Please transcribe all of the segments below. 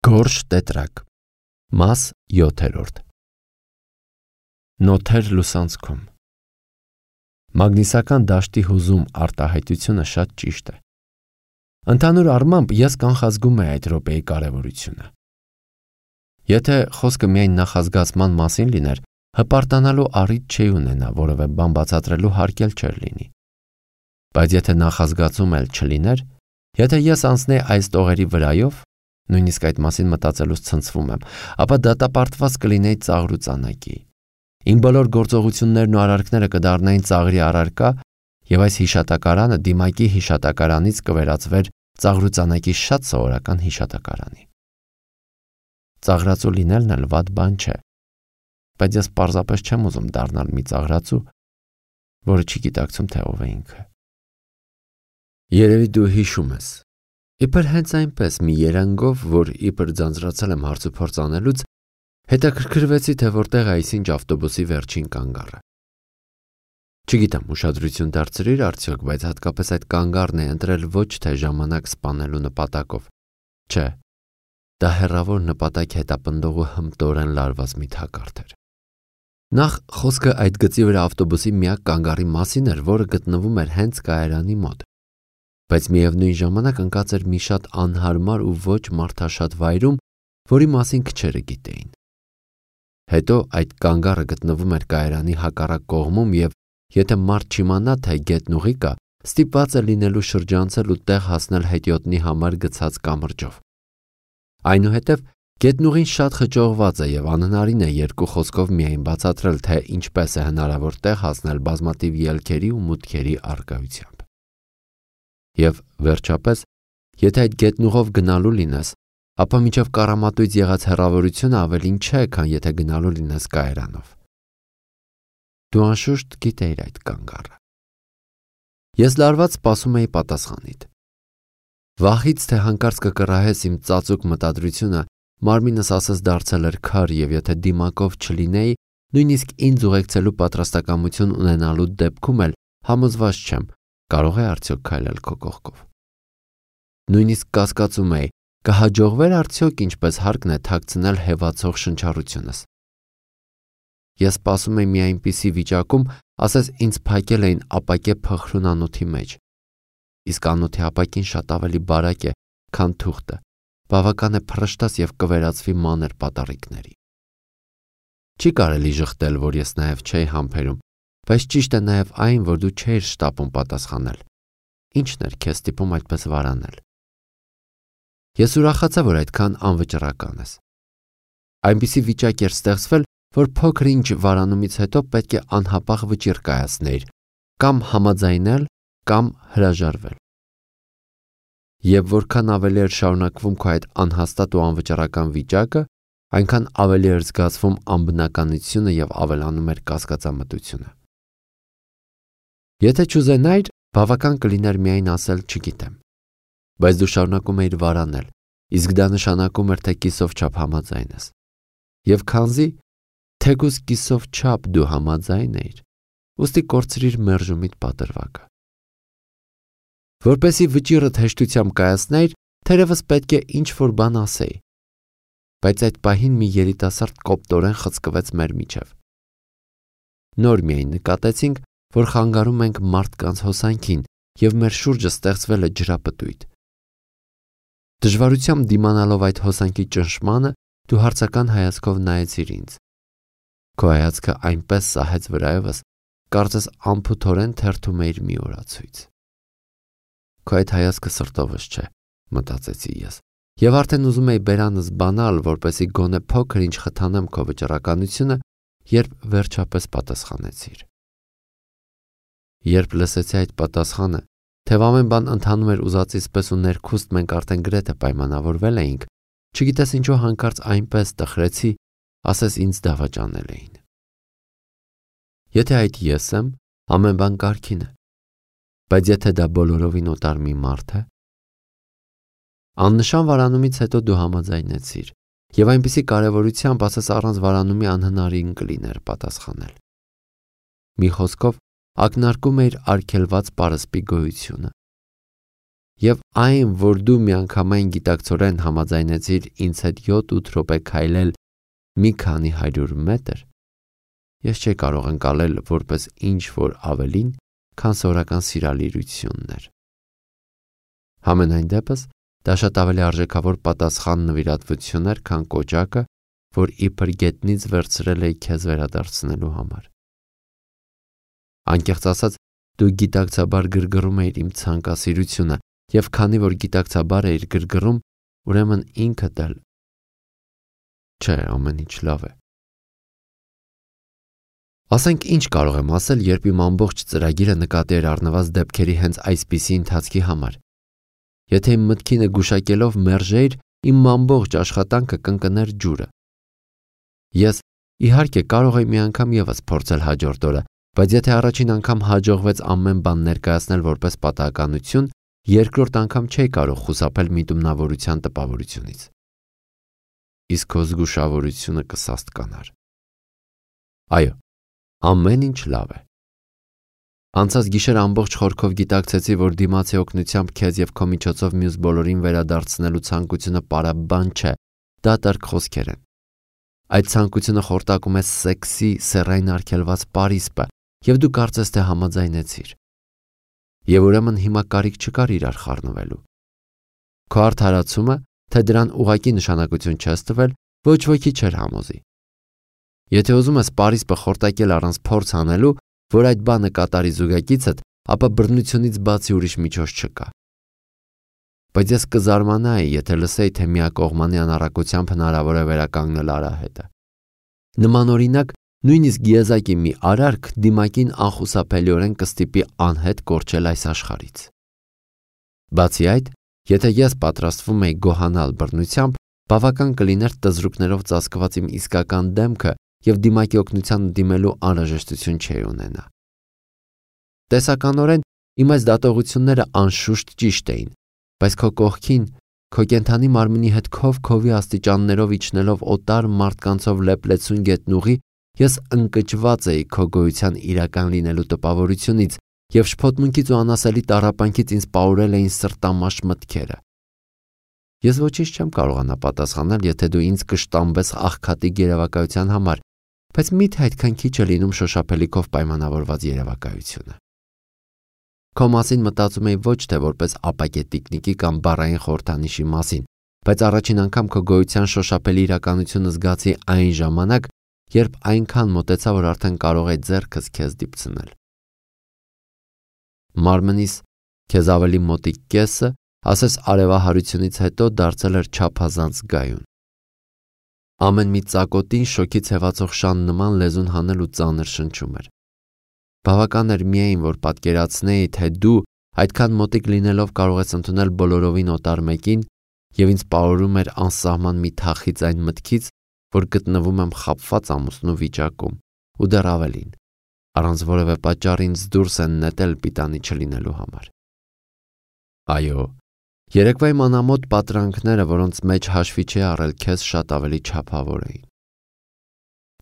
Գորշ տետրակ, մաս 7-րդ։ Նոթեր լուսանցքում։ Մագնիսական դաշտի հուզում արտահայտությունը շատ ճիշտ է։ Ընդհանուր առմամբ ես կանխազգում եմ այդ րոպեի կարևորությունը։ Եթե խոսքը միայն նախազգացման մասին լիներ, հպարտանալու առիթ չի ունենա, որովե բան բացատրելու հարկ էլ չէր լինի։ Բայց եթե նախազգացում էլ չլիներ, եթե ես անցնեի այս տողերի վրայով, նույնիսկ այդ մասին մտածելուց ցնցվում եմ, ապա դատապարտված կլինեի ծաղր ու ծանակի։ Իմ բոլոր գործողություններն ու արարքները կդառնային ծաղրի առարկա, եւ այս հիշատակարանը դիմակի հիշատակարանից կվերածվեր ծաղր ու ծանակի շատ սովորական հիշատակարանի։ Ծաղրածու լինելն էլ վատ բան չէ, բայց ես պարզապես չեմ ուզում դառնալ մի ծաղրածու, որը չի գիտակցում, թե ով է ինքը։ Երևի դու հիշում ես։ Իբր հենց այնպես մի երանգով, որ իբր ձանձրացել եմ հարցուփորձ անելուց, հետաքրքրվեցի, թե որտեղ է այսինչ ավտոբուսի վերջին կանգառը։ Չգիտեմ, ուշադրություն դարձրիր արդյոք, բայց հատկապես այդ կանգառն է ընտրել ոչ թե ժամանակ սպանելու նպատակով։ Չէ, դա հեռավոր նպատակ հետապնդող ու հմտորեն լարված մի թակարդ էր։ Նախ խոսքը այդ գծի վրա ավտոբուսի միակ կանգառի մասին էր, որը գտնվում էր հենց կայարանի մոտ։ Բայց միևնույն ժամանակ ընկած էր մի շատ անհարմար ու ոչ մարդաշատ վայրում, որի մասին քչերը գիտեին։ Հետո այդ կանգառը գտնվում էր կայարանի հակառակ կողմում եւ եթե մարդ չիմանա, թե գետնուղի կա, ստիպված է լինելու շրջանցել ու տեղ հասնել հետիոտնի համար գցած կամրջով։ Այնուհետև գետնուղին շատ խճողված է եւ անհնարին է երկու խոսքով միայն բացատրել, թե ինչպես է հնարավոր տեղ հասնել բազմաթիվ ելքերի ու մուտքերի առկայությամբ։ Եվ վերջապես, եթե այդ գետնուղով գնալու լինես, ապա մինչև Կարամատույց եղած հեռավորությունը ավելին չէ, քան եթե գնալու լինես կայարանով։ Դու անշուշտ գիտեիր այդ կանգառը։ Ես լարված սպասում էի պատասխանիդ։ Վախից, թե հանկարծ կկռահես իմ ծածուկ մտադրությունը, մարմինս ասես դարձել էր քար եւ եթե դիմակով չլինեի, նույնիսկ ինձ ուղեկցելու պատրաստակամություն ունենալու դեպքում էլ համոզված չեմ, կարող է արդյոք քայլել քո կողքով։ Նույնիսկ կասկածում էի, կհաջողվեր արդյոք ինչպես հարկն է թաքցնել հեվացող շնչառությունս։ Ես սպասում էի մի այնպիսի վիճակում, ասես ինձ փակել էին ապակե փխրուն անոթի մեջ։ Իսկ անոթի ապակին շատ ավելի բարակ է, քան թուղթը, բավական է փռշտաս եւ կվերածվի մանր պատառիկների։ Չի կարելի ժխտել, որ ես նաեւ չէի համբերում, բայց ճիշտ է նաեւ այն, որ դու չէիր շտապում պատասխանել։ Ինչն էր քեզ ստիպում այդպես վարանել։ Ես ուրախացա, որ այդքան անվճռական ես։ Այնպիսի վիճակ էր ստեղծվել, որ փոքր ինչ վարանումից հետո պետք է անհապաղ վճիռ կայացնեիր, կամ համաձայնել, կամ հրաժարվել։ Եվ որքան ավելի էր շարունակվում քո այդ անհաստատ ու անվճռական վիճակը, այնքան ավելի էր զգացվում անբնականությունը եւ ավելանում էր կասկածամտությունը։ Եթե չուզենայիր, բավական կլիներ միայն ասել չգիտեմ։ Բայց դու շարունակում էիր վարանել, իսկ դա նշանակում էր, թե կիսով չափ համաձայն ես։ Եվ քանզի թեկուզ կիսով չափ դու համաձայն էիր, ուստի կորցրիր մերժումիդ պատրվակը։ Որպեսի վճիռդ հեշտությամբ կայացնեիր, թերևս պետք է ինչ-որ բան ասեի։ Բայց այդ պահին մի երիտասարդ կոպտորեն խցկվեց մեր միջև։ Նոր միայն նկատեցինք, որ խանգարում ենք մարդկանց հոսանքին եւ մեր շուրջը ստեղծվել է ջրապտույտ։ Դժվարությամբ դիմանալով այդ հոսանքի ճնշմանը, դու հարցական հայացքով նայեցիր ինձ։ Քո հայացքը այնպես սահեց վրայովս, կարծես անփութորեն թերթում էիր մի օրացույց։ Քո այդ հայացքը սրտովս չէ, մտածեցի ես, եւ արդեն ուզում էի բերանս բանալ, որպեսի գոնե փոքր ինչ խթանեմ քո վճռականությունը, երբ վերջապես պատասխանեցիր։ Երբ լսեցի այդ պատասխանը, թեև ամեն բան ընթանում էր ուզածից պես ու ներքուստ մենք արդեն գրեթե պայմանավորվել էինք, չգիտես ինչու հանկարծ այնպես տխրեցի, ասես ինձ դավաճանել էին։ Եթե այդ ես եմ, ամեն բան կարգին է, բայց եթե դա բոլորովին օտար մի մարդ է։ Աննշան վարանումից հետո դու համաձայնեցիր, եւ այնպիսի կարևորությամբ ասես առանց վարանումի անհնարին կլիներ պատասխանել։ Մի խոսքով ակնարկում էիր արգելված պարսպի գոյությունը։ Եվ այն, որ դու միանգամայն գիտակցորեն համաձայնեցիր ինձ հետ 7-8 րոպե քայլել մի քանի 100 մետր, ես չի կարող ընկալել որպես ինչ-որ ավելին, քան սովորական սիրալիրությունն էր։ Համենայն դեպս, դա շատ ավելի արժեքավոր պատասխան նվիրատվություն էր, քան կոճակը, որ իբր գետնից վերցրել էի քեզ վերադարձնելու համար։ Անկեղծ ասած, դու գիտակցաբար գրգռում էիր իմ ցանկասիրությունը, եւ քանի որ գիտակցաբար էիր գրգռում, ուրեմն ինքդ էլ չէ, ամեն ինչ լավ է։ Ասենք ինչ կարող եմ ասել, երբ իմ ամբողջ ծրագիրը նկատի էր առնված դեպքերի հենց այսպիսի ընթացքի համար։ Եթե իմ մտքինը գուշակելով մերժեիր, իմ ամբողջ աշխատանքը կընկներ ջուրը։ Ես իհարկե կարող էի մի անգամ եւս փորձել հաջորդ օրը, բայց եթե առաջին անգամ հաջողվեց ամեն բան ներկայացնել որպես պատահականություն, երկրորդ անգամ չէի կարող խուսափել միտումնավորության տպավորությունից։ Իսկ քո զգուշավորությունը կսաստկանար։ Այո, ամեն ինչ լավ է։ Անցած գիշեր ամբողջ խորքով գիտակցեցի, որ դիմացի օգնությամբ քեզ եւ քո միջոցով մյուս բոլորին վերադարձնելու ցանկությունը պարաբան չէ, դատարկ խոսքեր են։ Այդ ցանկությունը խորտակում է սեքսի սեռային արգելված պարիսպը, եւ դու կարծես թե համաձայնեցիր։ Եվ ուրեմն հիմա կարիք չկար իրար խառնվելու։ Քո արդարացումը, թե դրան ուղղակի նշանակություն չես տվել, ոչ ոքի չէր համոզի։ Եթե ուզում ես պարիսպը խորտակել առանց փորձ անելու, որ այդ բանը կատարի զուգակիցդ, ապա բռնությունից բացի ուրիշ միջոց չկա։ Բայց ես կզարմանայի, եթե լսեի, թե միակողմանի անառակությամբ հնարավոր է վերականգնել արահետը։ Նմանօրինակ, նույնիսկ եզակի մի արարք դիմակին անխուսափելիորեն կստիպի անհետ կորչել այս աշխարհից։ Բացի այդ, եթե ես պատրաստվում էի գոհանալ բռնությամբ, բավական կլիներ տզրուկներով ծածկված իմ իսկական դեմքը եւ դիմակի օգնության դիմելու անհրաժեշտություն չէի ունենա։ Տեսականորեն իմ այս դատողությունները անշուշտ ճիշտ էին, բայց քո կողքին, քո կենդանի մարմնի հետ քովի աստիճաններով իջնելով օտար մարդկանցով լեփլեցուն գետնուղի, ես ընկճված էի քո գոյության իրական լինելու տպավորությունից եւ շփոթմունքից ու անասելի տառապանքից ինձ պահուրել էին սրտամաշ մտքերը։ Ես ոչինչ չեմ կարողանա պատասխանել, եթե դու ինձ կշտամբես աղքատիկ երևակայության համար, բայց միթե այդքան քիչ է լինում շոշափելիքով պայմանավորված երևակայությունը։ Քո մասին մտածում էի ոչ թե որպես ապակե տիկնիկի կամ բառային խորհրդանիշի մասին, բայց առաջին անգամ քո գոյության շոշափելի իրականությունը զգացի այն ժամանակ, երբ այնքան մոտեցա, որ արդեն կարող էի ձեռքս քեզ դիպցնել։ Մարմնիս քեզ ավելի մոտիկ կեսը, ասես արևահարությունից հետո դարձել էր չափազանց գայուն։ Ամեն մի ծակոտին շոքից հևացող շան նման լեզուն հանել ու ծանր շնչում էր։ Բավական էր միայն, որ պատկերացնեի, թե դու այդքան մոտիկ լինելով կարող ես ընդունել բոլորովին օտար մեկին, եւ ինձ պահորում էր անսահման մի թախից այն մտքից, որ գտնվում եմ խաբված ամուսնու վիճակում, ու դեռ ավելին, առանց որևէ պատճառ ինձ դուրս են նետել պիտանի չլինելու համար։ Այո, երեկվա իմ անամոթ պատրանքները, որոնց մեջ հաշվի չի առել քեզ, շատ ավելի չափավոր էին։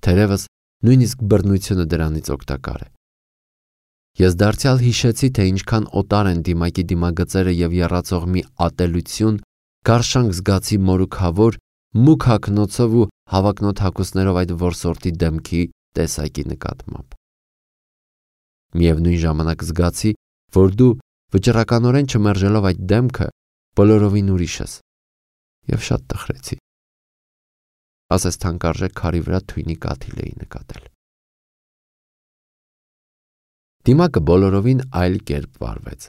Թերևս նույնիսկ բռնությունը դրանից օգտակար է։ Ես դարձյալ հիշեցի, թե ինչքան օտար են դիմակի դիմագծերը եւ եռացող մի ատելություն, գարշանք զգացի մորուքավոր, մուգ հագնոցով ու հավակնոտ հագուստներով այդ որսորդի դեմքի տեսակի նկատմամբ։ Միևնույն ժամանակ զգացի, որ դու վճռականորեն չմերժելով այդ դեմքը, բոլորովին ուրիշ ես, եւ շատ տխրեցի։ Ասես թանկարժեք քարի վրա թույնի կաթիլ էի նկատել։ Դիմակը բոլորովին այլ կերպ վարվեց։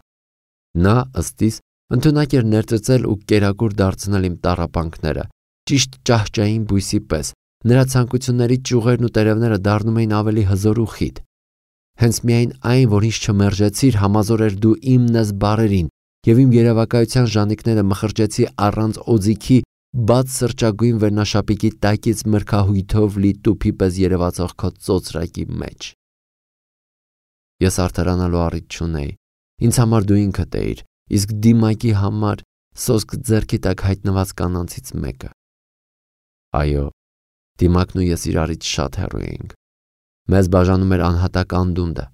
Նա ըստիս ընդունակ էր ներծծել ու կերակուր դարձնել իմ տառապանքները, ճիշտ ճահճային բույսի պես, նրա ցանկությունների ճյուղերն ու տերևները դառնում էին ավելի հզոր ու խիտ։ Հենց միայն այն, որ ինձ չմերժեցիր, համազոր էր դու իմն ես բառերին, եւ իմ երևակայության ժանիքները մխրճեցի առանց օձիքի, բաց սրճագույն վերնաշապիկի տակից մրգահույթով լի տուփի պես երևացող քո ծոծրակի մեջ։ Ես արդարանալու առիթ չունեի։ Ինձ համար դու ինքդ էիր, իսկ դիմակի համար սոսկ ձեռքի տակ հայտնված կանանցից մեկը։ Այո, դիմակն ու ես իրարից շատ հեռու էինք։ Մեզ բաժանում էր անհատակ անդունդը։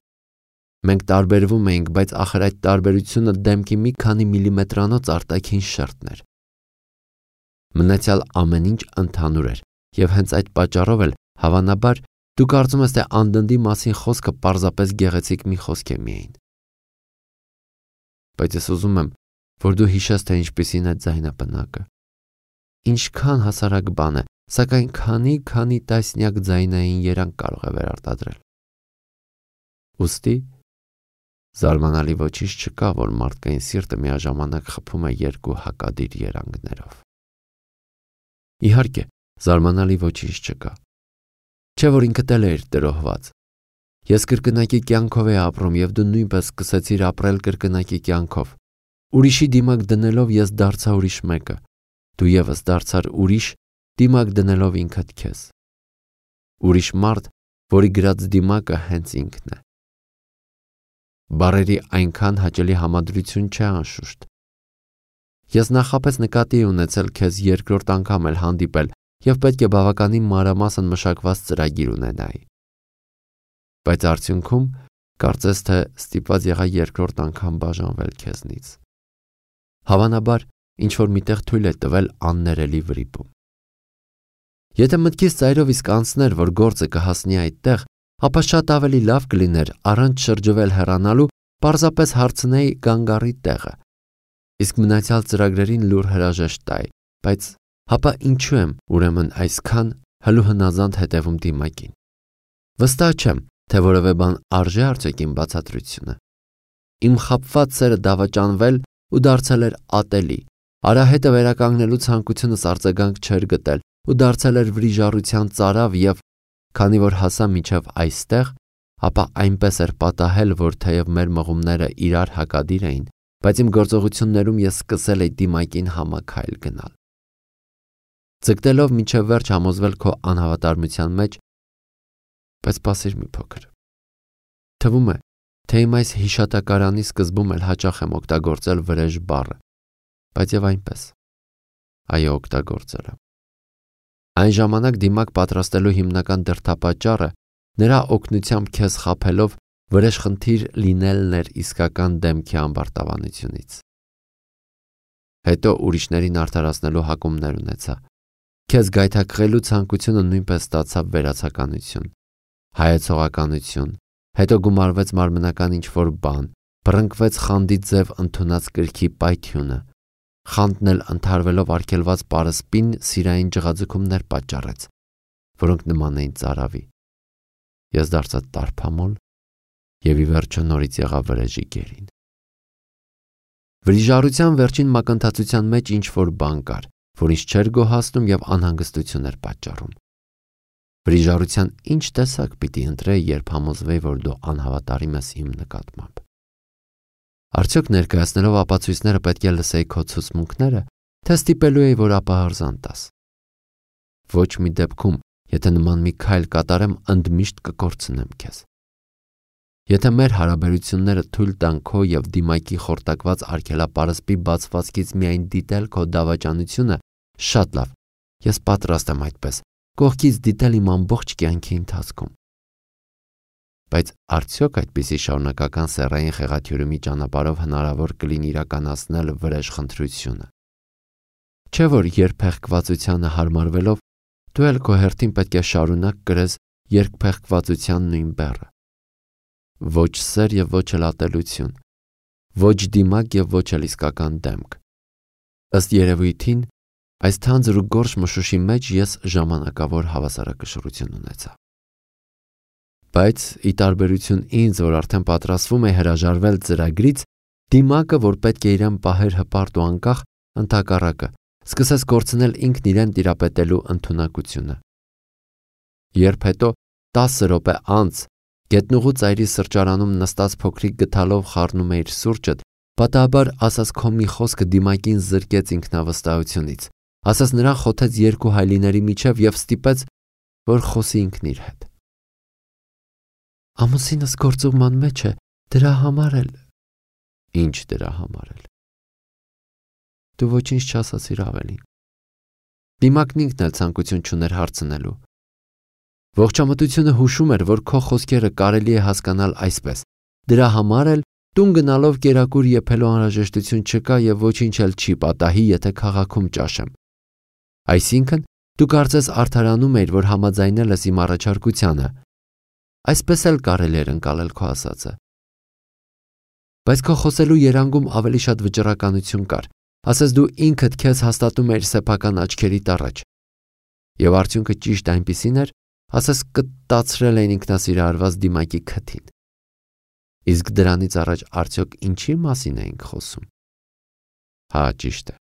Մենք տարբերվում էինք, բայց ախր այդ տարբերությունը դեմքի մի քանի միլիմետրանոց արտաքին շերտն էր։ Մնացյալ ամեն ինչ ընդհանուր էր, եւ հենց այդ պատճառով էլ հավանաբար դու կարծում ես, թե անդնդի մասին խոսքը պարզապես գեղեցիկ մի խոսք է միայն։ Բայց ես ուզում եմ, որ դու հիշես, թե ինչպիսին է ձայնապնակը։ Ինչքան հասարակ բան է, սակայն քանի տասնյակ ձայնային երանգ կարող է վերարտադրել։ Ուստի զարմանալի ոչինչ չկա, որ մարդկային սիրտը միաժամանակ խփում է երկու հակադիր երանգներով։ Իհարկե, զարմանալի ոչինչ չկա։ Չէ՞ որ ինքդ էլ էիր տրոհված։ Ես կրկնակի կյանքով էի ապրում եւ դու նույնպես սկսեցիր ապրել կրկնակի կյանքով։ Ուրիշի դիմակ դնելով ես դարձա ուրիշ մեկը։ Դու եւս դարձար ուրիշ, դիմակ դնելով ինքդ քեզ։ Ուրիշ մարդ, որի գրած դիմակը հենց ինքն է։ Բարերի այնքան հաճելի համադրություն չէ անշուշտ։ Ես նախապես նկատի ունեցել քեզ երկրորդ անգամ էլ հանդիպել եւ պետք է բավականին մանրամասն մշակված ծրագիր ունենայի։ Բայց արդյունքում կարծես թե ստիպված եղա երկրորդ անգամ բաժանվել քեզնից։ Հավանաբար ինչ որ միտեղ թույլ է տվել աններելի վրիպում։ Եթե մտքից ծայրով իսկ անցներ, որ գործը կհասնի այդտեղ, ապա շատ ավելի լավ կլիներ առանց շրջվել հեռանալու պարզապես հարցնեի գանգարի տեղը, իսկ մնացյալ ծրագրերին լուր հրաժեշտ տայի, բայց հապա ինչու եմ ուրեմն այսքան հլուհնազանդ հետևում դիմակին։ Վստահ չեմ, թե որևէ բան արժե արդյոք իմ բացատրությունը։ Իմ խաբված սերը դավաճանվել ու դարձել էր ատելի, արահետը վերականգնելու ցանկությունս արձագանք չէր գտել ու դարձել էր վրիժառության ծարավ եւ քանի որ հասա մինչև այստեղ, ապա այնպես էր պատահել, որ թեև մեր մղումները իրար հակադիր էին, բայց իմ գործողություններում ես սկսել էի դիմակին համաքայլ գնալ։ Ձգտելով մինչև վերջ համոզվել քո անհավատարմության մեջ, բայց սպասիր մի փոքր։ Թվում է, թե իմ այս հիշատակարանի սկզբում էլ հաճախ եմ օգտագործել վրեժ բառը, բայց եւ այնպես։ Այո, օգտագործել եմ։ Այն ժամանակ դիմակ պատրաստելու հիմնական դրդապատճառը նրա օգնությամբ քեզ խաբելով վրեժխնդիր լինելն էր իսկական դեմքի ամբարտավանությունից։ Հետո ուրիշներին արդարացնելու հակումներ ունեցա։ Քեզ գայթակղելու ցանկությունը նույնպես ստացավ վերացականություն, հայեցողականություն, հետո գումարվեց մարմնական ինչ-որ բան, բռնկվեց խանդի ձև ընդունած կրքի պայթյունը, խանդն էլ ընդհարվելով արգելված պարսպին սիրային ջղաձգումներ պատճառեց, որոնք նման էին ծարավի։ Ես դարձա տարփամոլ եւ ի վերջո նորից եղա վրեժի գերին։ Վրիժառության վերջին մակընթացության մեջ ինչ-որ բան կար, որ ինձ չէր գոհացնում եւ անհանգստություն էր պատճառում։ Վրիժառության ինչ տեսակ պիտի ընտրեի, երբ համոզվեի, որ դու անհավատարիմ ես իմ նկատմամբ։ Արդյոք ներկայացնելով ապացույցները պետք է լսեի քո ցուցմունքները, թե ստիպելու էի, որ ապահարզան տաս։ Ոչ մի դեպքում, եթե նման մի քայլ կատարեմ, ընդմիշտ կկորցնեմ քեզ։ Եթե մեր հարաբերությունները թույլ տան քո եւ դիմակի խորտակված արգելապարսպի բացվածքից միայն դիտել քո դավաճանությունը, շատ լավ, ես պատրաստ եմ այդպես, կողքից դիտել իմ ամբողջ կյանքի ընթացքում։ Բայց արդյոք այդպիսի շարունակական սեռային խեղաթյուրումի ճանապարհով հնարավոր կլինի իրականացնել վրեժխնդրությունը։ Չէ՞ որ երբեղկվածությանը հարմարվելով դու էլ քո հերթին պետք է շարունակ կրես երկփեղկվածության նույն բեռը։ Ոչ սեր եւ ոչ էլ ատելություն, ոչ դիմակ եւ ոչ էլ իսկական դեմք։ Ըստ երևույթին, այս թանձր ու գորշ մշուշի մեջ ես ժամանակավոր հավասարակշռություն ունեցա։ Բայց ի տարբերություն ինձ, որ արդեն պատրաստվում է հրաժարվել ծրագրից, դիմակը, որ պետք է իրեն պահեր հպարտ ու անկախ, ընդհակառակը, սկսեց կորցնել ինքն իրեն տիրապետելու ընդունակությունը։ Երբ հետո 10 րոպե անց գետնուղու ծայրի սրճարանում նստած փոքրիկ գդալով խառնում էիր սուրճդ, պատահաբար ասած քո մի խոսքը դիմակին զրկեց ինքնավստահությունից, ասած նրան խոթեց երկու հայլիների միջև եւ ստիպեց, որ խոսի ինքն իր հետ։ Ամուսինս գործուղման մեջ է, դրա համար էլ։ Ինչ դրա համար էլ։ Դու ոչինչ չասացիր ավելին։ Դիմակն ինքն էլ ցանկություն չուներ հարցնելու։ Ողջամտությունը հուշում էր, որ քո խոսքերը կարելի է հասկանալ այսպես. դրա համար էլ տուն գնալով կերակուր եփելու անհրաժեշտություն չկա եւ ոչինչ էլ չի պատահի, եթե քաղաքում ճաշեմ։ Այսինքն, դու կարծես արդարանում էիր, որ համաձայնել ես իմ առաջարկությանը։ Այսպես էլ կարելի էր ընկալել քո ասածը։ Բայց քո խոսելու երանգում ավելի շատ վճռականություն կար, ասես դու ինքդ քեզ հաստատում էիր սեփական աչքերիդ առաջ։ Եվ արդյունքը ճիշտ այնպիսին էր, ասես կտացրել էին ինքնասիրահարված դիմակի քթին։ Իսկ դրանից առաջ արդյոք ինչի մասին էինք խոսում։ Հա, ճիշտ է։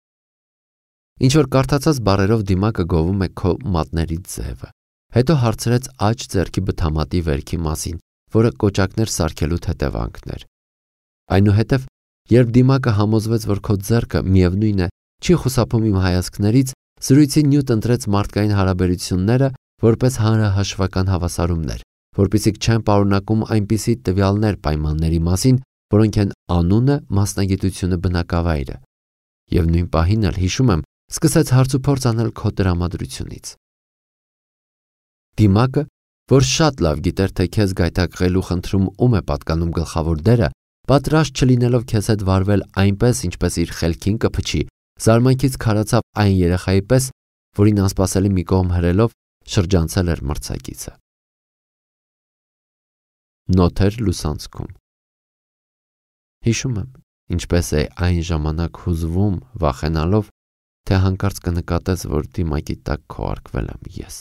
Ինչ որ կարդացած բառերով դիմակը գովում է քո մատների ձևը։ Հետո հարցրեց աջ ձեռքի բթամատի վերքի մասին, որը կոճակներ սարքելու հետևանքն էր։ Այնուհետև, երբ դիմակը համոզվեց, որ քո ձեռքը միևնույն է, չի խուսափում իմ հայացքներից, զրույցի նյութ ընտրեց մարդկային հարաբերությունները որպես հանրահաշվական հավասարումներ, որպեսզի չեն պարունակում այնպիսի տվյալներ պայմանների մասին, որոնք են անունը, մասնագիտությունը, բնակավայրը։ Եվ նույն պահին էլ հիշում եմ, սկսեց հարցուփորձ անել քո տրամադրությունից։ Դիմակը, որ շատ լավ գիտեր, թե քեզ գայթակղելու խնդրում ում է պատկանում գլխավոր դերը, պատրաստ չլինելով քեզ հետ վարվել այնպես, ինչպես իր խելքին կփչի, զարմանքից քարացավ այն երեխայի պես, որին անսպասելի մի կողմ հրելով շրջանցել էր մրցակիցը։ Նոթեր լուսանցքում։ Հիշում եմ, ինչպես է այն ժամանակ հուզվում, վախենալով, թե հանկարծ կնկատես, որ դիմակի տակ քոարկվել եմ ես։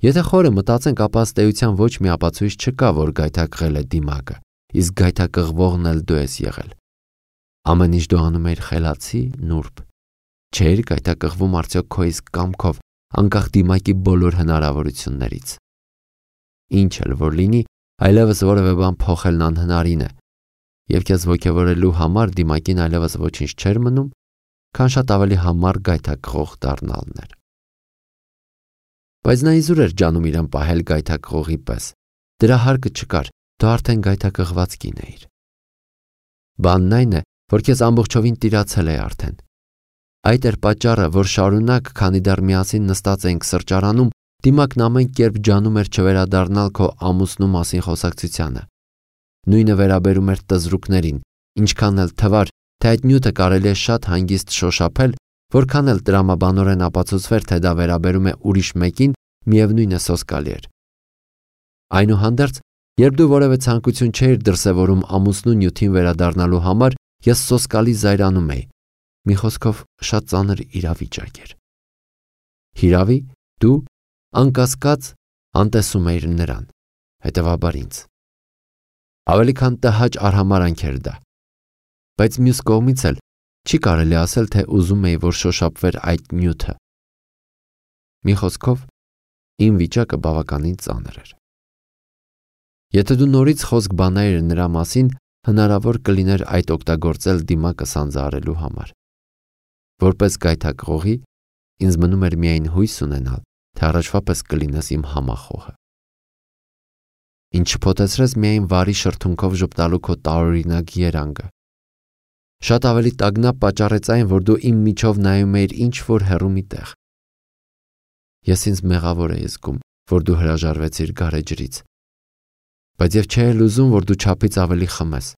Եթե խորը մտածենք, ապա ըստ էության ոչ մի ապացույց չկա, որ գայթակղել է դիմակը, իսկ գայթակղվողն էլ դու ես եղել։ Ամեն ինչ դու անում էիր խելացի, նուրբ։ Չէիր գայթակղվում արդյոք քո իսկ կամքով, անկախ դիմակի բոլոր հնարավորություններից։ Ինչ էլ որ լինի, այլևս որևէ բան փոխելն անհնարին է, եւ քեզ ոգևորելու համար դիմակին այլևս ոչինչ չէր մնում, քան շատ ավելի համառ գայթակղող դառնալն էր։ Բայց նա իզուր էր ջանում իրեն պահել գայթակղողի պես։ Դրա հարկը չկար, դու արդեն գայթակղված կին էիր։ Բանն այն է, որ քեզ ամբողջովին տիրացել է արդեն։ Այդ էր պատճառը, որ շարունակ, քանի դեռ միասին նստած էինք սրճարանում, դիմակն ամեն կերպ ջանում էր չվերադառնալ քո ամուսնու մասին խոսակցությանը։ Նույնը վերաբերում էր տզրուկներին, ինչքան էլ թվար, թե այդ նյութը կարելի է շատ հանգիստ շոշափել, որքան էլ տրամաբանորեն ապացուցվեր, թե դա վերաբերում է ուրիշ մեկին, միևնույն է սոսկալի էր։ Այնուհանդերձ, երբ դու որևէ ցանկություն չէիր դրսևորում ամուսնու նյութին վերադառնալու համար, ես սոսկալի զայրանում էի։ Մի խոսքով, շատ ծանր իրավիճակ էր։ Հիրավի, դու անկասկած անտեսում էիր նրան, հետևաբար ինձ։ Ավելի քան տհաճ արհամարանք էր դա։ Բայց մյուս կողմից էլ չի կարելի ասել, թե ուզում էի, որ շոշափվեր այդ նյութը։ Մի խոսքով, իմ վիճակը բավականին ծանր էր։ Եթե դու նորից խոսք բանայիր նրա մասին, հնարավոր կլիներ այդ օգտագործել դիմակը սանձահարելու համար։ Որպես գայթակղողի, ինձ մնում էր միայն հույս ունենալ, թե առաջվա պես կլինես իմ համախոհը։ Ինչ չփոթեցրես միայն վարի շրթունքով ժպտալու քո տարօրինակ երանգը։ Շատ ավելի տագնապ պատճառեց այն, որ դու իմ միջով նայում էիր ինչ-որ հեռու մի տեղ։ Ես ինձ մեղավոր էի զգում, որ դու հրաժարվեցիր գարեջրից, բայց եւ չէի ուզում, որ դու չափից ավելի խմես։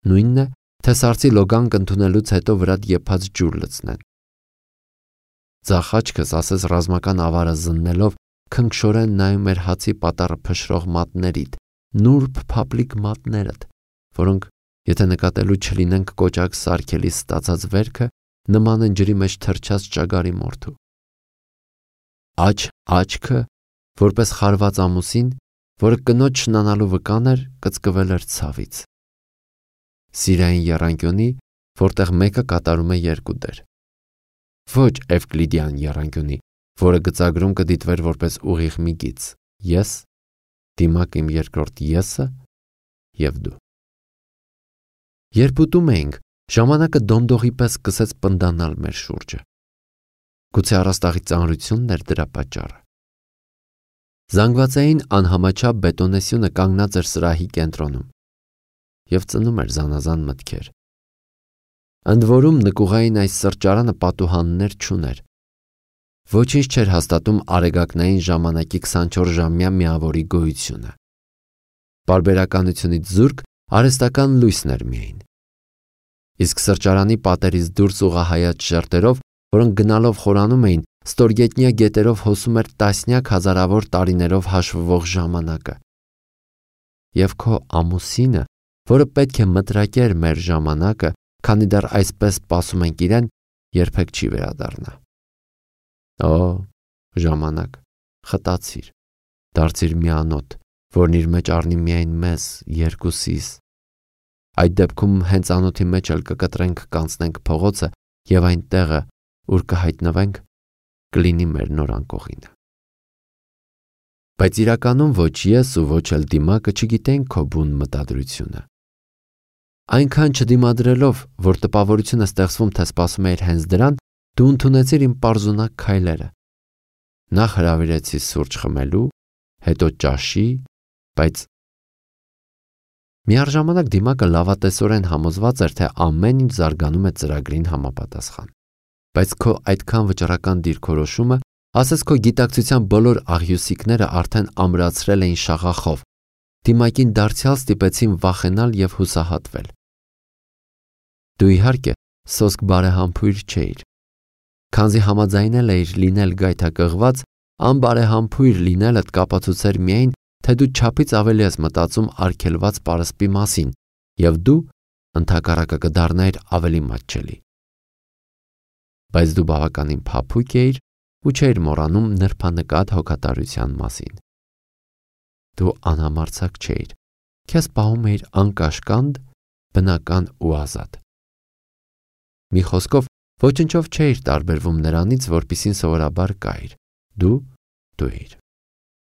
Նույնն է, թե սարսի լոգանք ընդունելուց հետո վրատ եփած ջուր լցնեն։ Ձախ աչքս ասես ռազմական ավարը զննելով քնքշորեն նայում էր հացի պատառը փշրող մատներիդ, նուրբ փափլիկ մատներդ, որոնք, եթե նկատելու չլինենք կոճակ սարքելի ստացած վերքը, նման են ջրի մեջ թրջած ճագարի մորթու։ Աչքը, որպես խարված ամուսին, որը կնոջ շնանալու վկան էր, կծկվել էր ցավից։ Սիրային եռանկյունի, որտեղ մեկը կատարում է երկու դեր։ Ոչ Էվկլիդյան եռանկյունի, որը գծագրում կդիտվեր որպես ուղիղ մի գիծ։ Ես, դիմակ իմ երկրորդ եսը եւ դու։ Երբ ուտում էինք, ժամանակը դոնդողի պես սկսեց պնդանալ մեր շուրջը։ Գուցե առաստաղի ծանրությունն էր դրա պատճառը։ Զանգվածային անհամաչափ բետոնեսյունը կանգնած էր սրահի կենտրոնում եւ ծնում էր զանազան մտքեր։ Ընդ որում նկուղային այս սրճարանը պատուհաններ չուներ։ Ոչինչ չէր հաստատում արեգակնային ժամանակի 24-ժամյա միավորի գոյությունը։ Պարբերականությունից զուրկ արհեստական լույսն էր միայն։ Իսկ սրճարանի պատերից դուրս ուղղահայաց շերտերով, որոնք գնալով խորանում էին, ստորգետնյա գետերով հոսում էր տասնյակ հազարավոր տարիներով հաշվվող ժամանակը։ Եվ քո ամուսինը, որը պետք է մտրակեր մեր ժամանակը, քանի դեռ այսպես սպասում ենք իրեն, երբեք չի վերադառնա։ Օ, ժամանակ, խտացիր, դարձիր միանոտ, որն իր մեջ առնի միայն մեզ երկուսիս։ Այդ դեպքում հենց անոթի մեջ էլ կկտրենք, կանցնենք փողոցը եւ այն տեղը, ուր կհայտնվենք, կլինի մեր նոր անկողինը։ Բայց իրականում ոչ ես ու ոչ էլ դիմակը չգիտենք քո բուն մտադրությունը։ Այնքան չդիմադրելով, որ տպավորությունը ստեղծվում, թե սպասում էիր հենց դրան, դու ընդունեցիր իմ պարզունակ քայլերը։ Նախ հրավիրեցի սուրճ խմելու, հետո ճաշի, բայց միառժամանակ դիմակը լավատեսորեն համոզված էր, թե ամեն ինչ զարգանում է ծրագրին համապատասխան։ Բայց քո այդքան վճռական դիրքորոշումը, ասես քո գիտակցության բոլոր աղյուսիկները արդեն ամրացրել էին շաղախով, դիմակին դարձյալ ստիպեցին վախենալ եւ հուսահատվել։ Դու իհարկե սոսկ բարեհամբույր չէիր։ Քանզի համաձայնել էիր լինել գայթակղված, անբարեհամբույր լինելդ կապացուցեր միայն, թե դու չափից ավելի ես մտածում արգելված պարսպի մասին, եւ դու ընդհակառակը կդառնայիր ավելի մատչելի։ Բայց դու բավականին փափուկ էիր ու չէիր մոռանում նրբանկատ հոգատարության մասին։ Դու անհամարձակ չէիր, քեզ պահում էիր անկաշկանդ, բնական ու ազատ։ Մի խոսքով, ոչնչով չէիր տարբերվում նրանից, որպիսին սովորաբար կայիր։ Դու էիր։